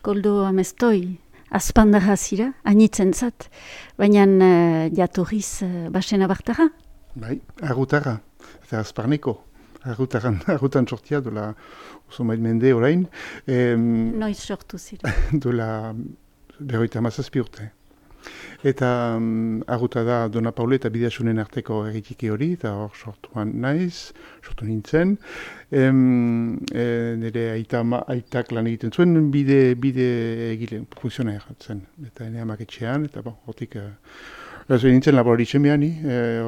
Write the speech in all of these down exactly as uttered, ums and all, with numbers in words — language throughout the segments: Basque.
Koldo Amestoi, azpandarra zira, anitzen zat, baina uh, jatorriz uh, basena bartara? Bai, arrutarra, eta azparneko. Arrutan, arrutan sortia dola oso mail mende orain. Em, Noiz sortu zira? Dola berroita hamazazpi urte. Eta um, arruta da Dona Paule eta Bideasunen arteko erritiki hori, eta hor sortuan naiz, sortu nintzen. Em, e, nire aita, aitak lan egiten zuen bide, bide egile, funtzionaia zen. Eta ene amak etxean, eta bon, hortik... Uh, Ezo nintzen laborari txemean,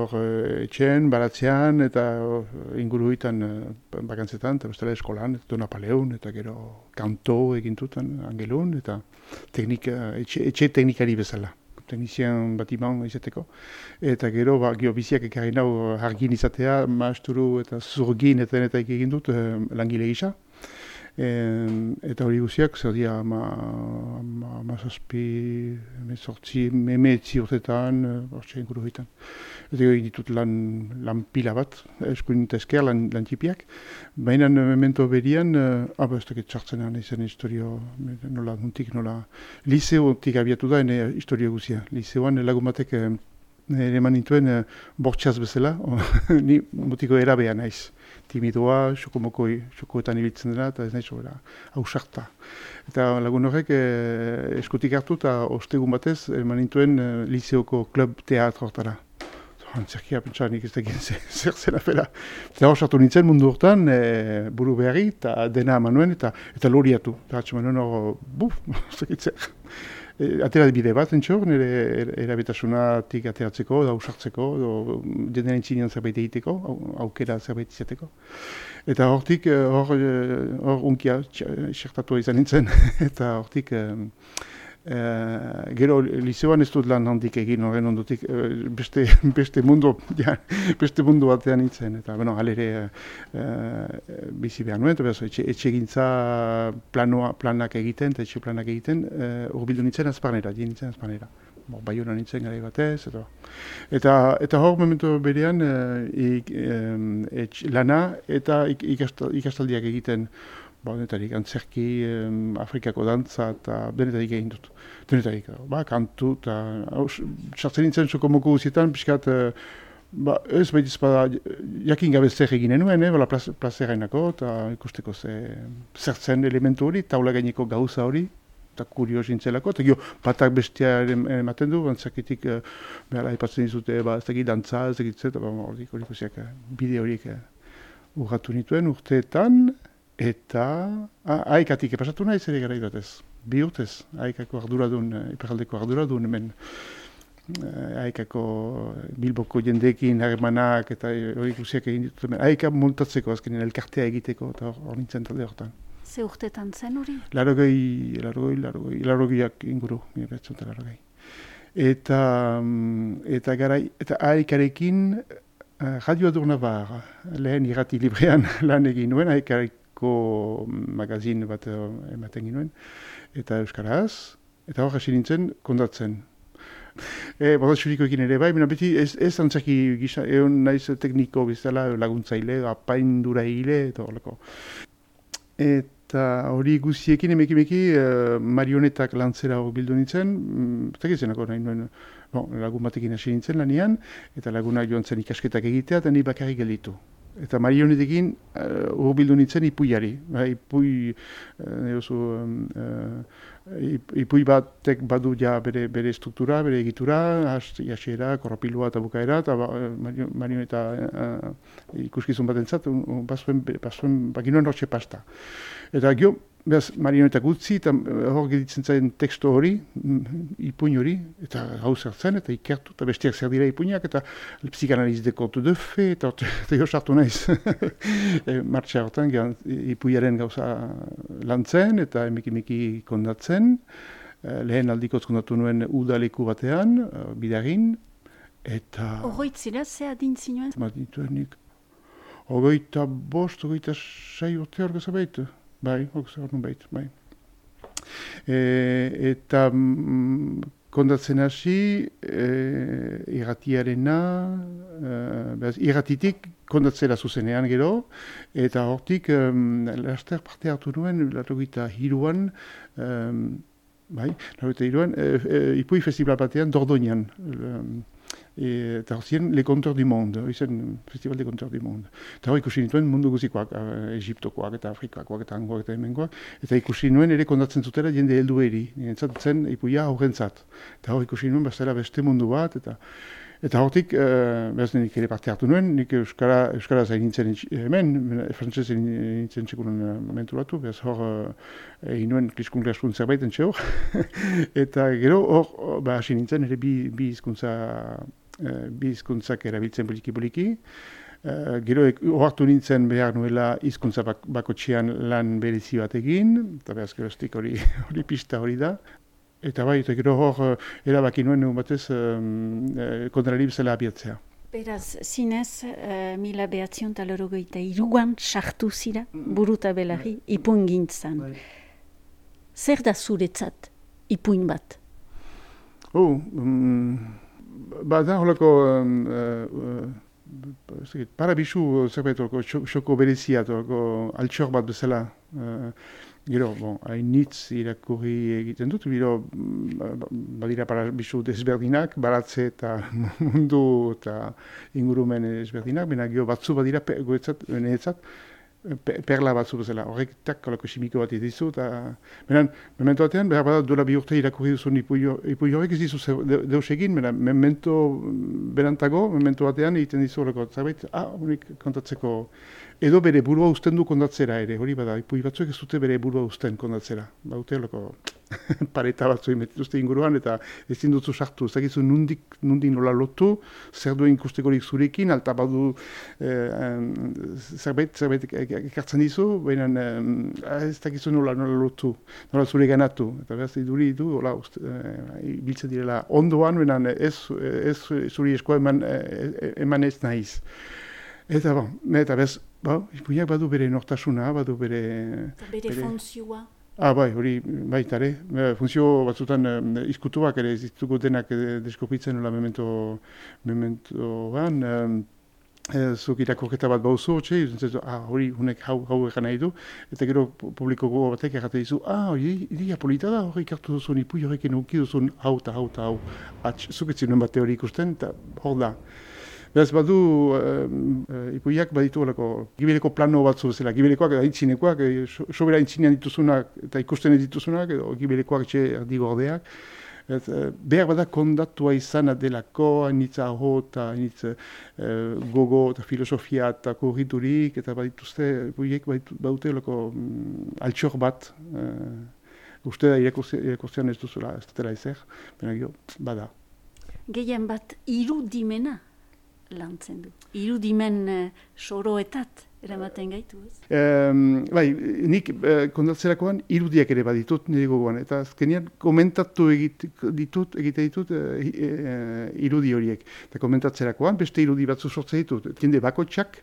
hor e, etxean, baratzean, eta inguru hitan e, bakantzetan, eta bestela eskolan, eta Dona Paleun, eta gero kanto egintutan, angelun, eta teknika, etxe, etxe teknikari bezala. Teknizian batiman izateko. Eta gero, ba, gero biziak ekarri nau hargin izatea, maasturu eta zurgin eta denetak egin dut e, langile gisa. E, eta hori guziak, zer dia, ma, ma, ma zazpi, emezortzi, emeetzi urtetan, hortxe inguru hitan. Eta egin ditut lan, lan pila bat, eskuin eta esker, lan, lan txipiak. Baina memento berian, ah, ba, ez dakit txartzenan izan historio, nola, nuntik, nola, liseotik abiatu da, ene historio guzia. Liseoan lagun batek ere eman nintuen bortxaz bezala, ni mutiko erabea naiz. Timidoa, xokomokoi, xokoetan ibiltzen dena, eta ez nahi sobera, hausarta. Eta lagun horrek eh, eskutik hartu eta ostegun batez, eman nintuen eh, liseoko klub teatro hortara. Antzerkia, pentsa, nik ez da egin zer zela fela. Eta hor sartu nintzen mundu hortan, e, buru beharri, eta dena eman nuen, eta, eta loriatu. Eta hatxeman nuen hor, buf, zekitzer. E, atera bide bat, entxor, nire erabetasunatik ateratzeko, da usartzeko, dena entzinean zerbait egiteko, aukera zerbait izateko. Eta hortik, hor, hor unkia, xertatu izan nintzen, eta hortik, e, gero liseoan ez dut lan handik egin horren ondotik, beste, beste mundu, ja, beste mundu batean nintzen, eta, bueno, alere e, bizi behar nuen, eta behar, etxe, etxe gintza planoa, planak egiten, eta etxe planak egiten, e, urbildu nintzen azparnera, dien nintzen azparnera. Bo, baiona nintzen gara batez, eta, eta, eta hor momentu berean e, e, etx, lana eta ik, ikastal, ikastaldiak egiten, ba, denetarik, antzerki, eh, Afrikako dantza eta denetarik egin dut. Denetarik, ba, kantu eta sartzen nintzen sokomoko guzietan, pixkat, eh, ba, ez baita ezpada jakin gabe zer eginen nuen, eh, bala plazerainako eta ikusteko ze, zertzen elementu hori, taula gaineko gauza hori, eta kurios nintzelako, eta gio, batak bestia ematen du, antzakitik, eh, behala, ipatzen dizute, ba, ez dakit dantza, ez dakit zet, ba, hori ikusiak, bide horiek eh, urratu nituen urteetan, eta aikatik epasatu nahi zer gara idatez. Bi urtez, aikako arduradun, iparaldeko arduradun hemen. Aikako Bilboko jendeekin harremanak eta hori guziak egin ditut hemen. Aika montatzeko azkenean elkartea egiteko eta hor nintzen talde hortan. Ze urtetan zen hori? Larogei, larogei, larogei, larogeiak inguru, nire betzunta larogei. Eta, eta garai, eta aikarekin Radio Adurnabar, lehen irrati librean lan egin nuen, aikarekin magazin bat ematen ginuen, eta euskaraz, eta hor hasi nintzen kondatzen. E, Bodatxurikoekin ere bai, baina beti ez, ez antzaki gisa, egon naiz tekniko bizala laguntzaile, apaindura egile, eta horrelako. Eta hori guztiekin emekimeki uh, marionetak lantzera hor bildu nintzen, eta gizenako nahi nuen, bon, lagun batekin hasi nintzen lanian, eta lagunak joan zen ikasketak egitea, eta ni bakarrik gelditu. Eta marionetekin hor uh, bildu nintzen ipuiari. Ba, ipui, uh, oso, uh, ipui batek badu ja bere, bere struktura, bere egitura, hasiera, korropilua eta bukaera, eta ba, marioneta uh, ikuskizun bat entzat, un, bazuen, bazuen, baginuen hortxe pasta. Eta gio, behaz, marionetak utzi, eta hor geditzen zen teksto hori, ipuin hori, eta gau zertzen, eta ikertu, eta bestiak zer dira ipuinak, eta psikanaliz de kontu de fe, eta jo sartu naiz. e, Martxa hortan, ipuiaren gauza lantzen, eta emeki-meki kondatzen, e, lehen aldikoz kondatu nuen udaleku batean, e, bidarin, eta... Horroitzira, ze adin zinuen? Ma dituenik, ogoita bost, ogoita sei urte hor gazabait. Bai, hor gazabait, bai. E, eta mm, kondatzen hasi, e, irratiarena, e, irratitik kondatzera zuzenean gero, eta hortik, um, laster parte hartu nuen, laurogeita hiruan, um, bai, laurogeita hiruan, e, e, Ipui festival batean Dordoñan, um, eta horzien Le Conteur du Monde, izen Festival de Conteur du Monde. Eta hor ikusi nituen mundu guzikoak, Egiptokoak eta Afrikakoak eta Angoak eta hemengoak, eta ikusi nuen ere kondatzen zutela jende heldu eri, nintzat zen Ipuia aurrentzat. Eta hor ikusi nuen bestela beste mundu bat, eta eta hortik, uh, behaz nik ere parte hartu nuen, nik Euskara, Euskara zain nintzen hemen, frantzez nintzen txekunen momentu batu, behaz hor egin nuen kliskun klaskun zerbait entxe hor. Eta gero hor, ba, hasi nintzen ere bi, bi hizkuntza bi hizkuntzak erabiltzen poliki-poliki. Uh, gero ohartu nintzen behar nuela hizkuntza bak, bakotxean lan berezi bat egin, eta behaz geroztik hori, hori pista hori da. Eta bai, eta gero hor erabaki nuen egun batez um, e, kontrari bezala abiatzea. Beraz, zinez, uh, mila behatzion talorogeita iruan sartu zira, buruta belarri, ipuin gintzan. Bai. Zer da zuretzat ipuin bat? Oh, um, ba da holako um, uh, uh, parabisu zerbait olako xoko berezia, olako altxor bat bezala. Uh, Gero, bon, hainitz irakurri egiten dut, gero badira parabisu desberdinak, baratze eta mundu eta ingurumen desberdinak, baina gero batzu badira goetzat, neetzat, perla batzu bezala, horrek tak kolako simiko bat dizu, eta benan, memento batean, behar bada duela bi urte irakurri duzun ipui horrek ez dizu deus egin, benan, memento berantago, memento batean egiten dizu horreko zerbait, ah, honik kontatzeko, edo bere burua usten du kondatzera ere, hori bada, ipui batzuek ez dute bere burua usten kondatzera, baute horreko pareta batzu imetituzte inguruan, eta ez dutzu sartu, ez dakizu nundik, nundik nola lotu, zer duen ikustekorik zurekin, alta badu eh, zerbait, zerbait ekartzen dizu, baina eh, ez dakizu nola, nola lotu, nola zure ganatu, eta behaz iduri du, hola, eh, biltzen direla ondoan, baina ez, ez zuri eskoa eman, eh, eman ez nahiz. Eta bon, eta bez, ba, ipuinak badu bere nortasuna, badu bere... Bere, bere funtzioa. Ah, bai, hori baita ere. Funtzio batzutan eh, izkutuak ere ez ditugu denak eh, deskopitzen nola memento, mementoan. Eh, zuk irakorketa bat bauzu, hotxe, ah, hori hunek hau, hau egan nahi du, eta gero publiko gogo batek errate dizu, ah, hori iria polita da, hori ikartu duzun, ipui horrekin uki duzun, hau eta hau eta hau. Atx, zuk ez zinuen bate hori ikusten, eta hor da. Beraz, badu, uh, ipuiak baditu olako, gibeleko plano batzu bezala, gibelekoak eta aintzinekoak, e, sobera aintzinean dituzunak eta ikusten ez dituzunak, edo gibelekoak etxe erdigordeak. Et, uh, behar bada kondatua izan adelako, hainitza aho eta hainitza uh, gogo eta filosofia eta korriturik, eta badituzte, ipuiek badute olako um, altxor bat, uh, uste da irakurtzean ez duzula, ez dutela ezer, baina gero, bada. Gehien bat irudimena lantzen du. Irudimen uh, soroetat eramaten gaitu, ez? Um, bai, nik uh, kondatzerakoan irudiak ere baditut nire gogoan, eta azkenean komentatu egit, ditut, egite ditut uh, uh, irudi horiek. Eta komentatzerakoan beste irudi batzu sortzen ditut. Jende bakotxak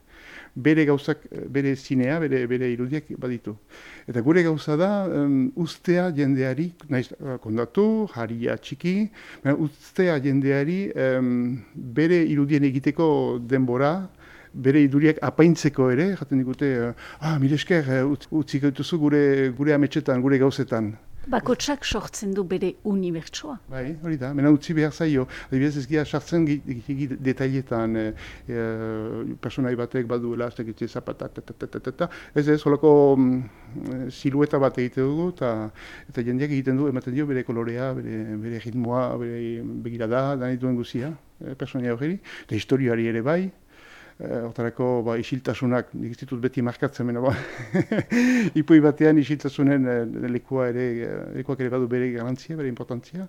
bere gauzak, bere zinea, bere, bere irudiak baditu. Eta gure gauza da, um, ustea jendeari, naiz kondatu, jaria txiki, ustea jendeari um, bere irudien egiteko denbora, bere iduriak apaintzeko ere, jaten digute, ah, mire esker, utziko dituzu gure, gure ametxetan, gure gauzetan. Bakotsak sortzen du bere unibertsoa. Bai, hori da, mena utzi behar zaio. Adibidez ez gira sartzen detailetan, e, e, personai batek baduela, ez dakitze zapatak, ez ez, holako mm, silueta bat egite dugu, eta, eta jendeak egiten du, ematen dio bere kolorea, bere, bere ritmoa, bere begirada, danit duen guzia, e, personai horreri, eta historioari ere bai. Hortarako ba, isiltasunak, nik ez ditut beti markatzen, mena ba. Ipui batean isiltasunen lekua ere, lekuak ere badu bere garantzia, bere importantzia.